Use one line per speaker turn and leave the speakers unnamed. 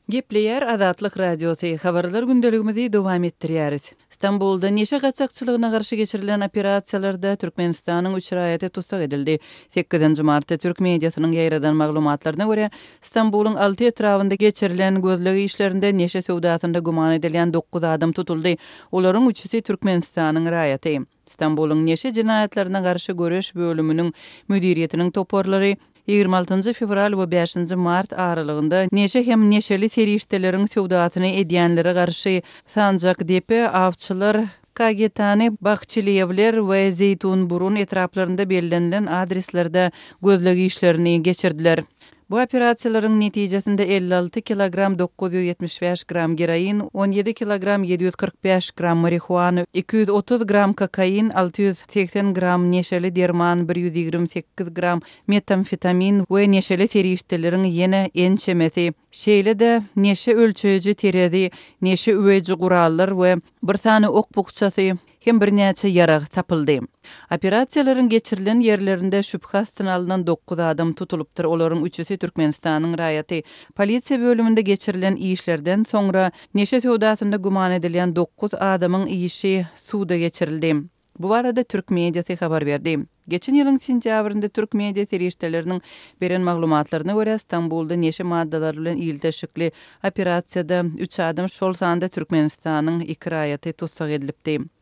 Gepleýär Azatlyk Radiosy, Habarlar gündeligimizi dowam etdirýäris. Stambulda neşe gaçakçylygyna garşy geçirilen operasiýalarda Türkmenistanyň üç raýaty tussag edildi. Sekizinji martda türk mediasynyň ýaýradan maglumatlaryna görä, Stambulyň alty etrabynda geçirilen gözleg işlerinde neşe söwdasynda güman edilýän dokuz adam tutuldy. Olaryň üçüsi Türkmenistanyň raýaty. Stambulyň neşe jenaýatlaryna garşy göreş bölüminiň müdiriýetiniň toparlary 26 njy fewral we bäşinji mart aralygynda neşe hem neşeli serişdeleriň söwdasyny edýänlere garşy Sanjakdepe, Awçylar, Kagetany, Bahçeliýewler we Zeýtunburun etraplarynda bellenilen adreslerde gözleg işlerini geçirdiler. Bu operasiýalaryň netijesinde 56 kilogram 975 gram geroin, 17 kilogram 745 gram marihuana, 230 gram kokain, 680 gram neşeli derman, 128 gram metamfetamin we neşeli serişdeleriň ýene ençemesi, şeýle-de neşe ölçeýji terezi, neşe üweýji gurallar we bir sany ok bukjasy hem birnäçe ýarag tapyldy. Operasiýalaryň geçirilen ýerlerinde şübhe astyna alnan dokuz adam tutulypdyr, olaryň üçüsi Türkmenistanyň raýaty. Polisiýa bölüminde geçirilen işlerden soňra, neşe söwdasynda güman edilýän dokuz adamyň işi suda geçirildi. Bu barada türk mediasy habar berdi. Geçen ýylyň sentýabrynda türk media serişdeleriniň beren maglumatlaryna görä, Stambulda neşe maddalary bilen ilteşikli operasiýada üç adam, şol sanda Türkmenistanyň iki raýaty tussag edilipdi.